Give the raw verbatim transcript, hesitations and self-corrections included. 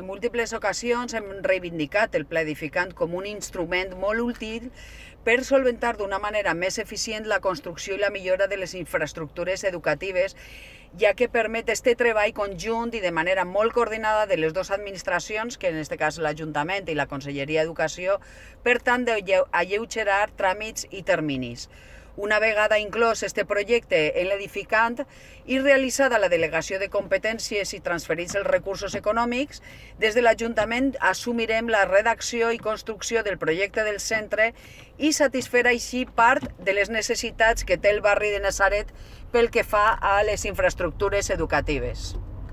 En múltiples ocasions hem reivindicat el Pla Edificant com un instrument molt útil per solventar d'una manera més eficient la construcció i la millora de les infraestructures educatives, ja que permet este treball conjunt i de manera molt coordinada de les dues administracions, que en aquest cas l'Ajuntament i la Conselleria d'Educació, per tant d'alleugerar tràmits i terminis. Una vegada inclòs este projecte en l'edificant i realitzada la delegació de competències i transferits els recursos econòmics, des de l'Ajuntament assumirem la redacció i construcció del projecte del centre i satisfer així part de les necessitats que té el barri de Natzaret pel que fa a les infraestructures educatives.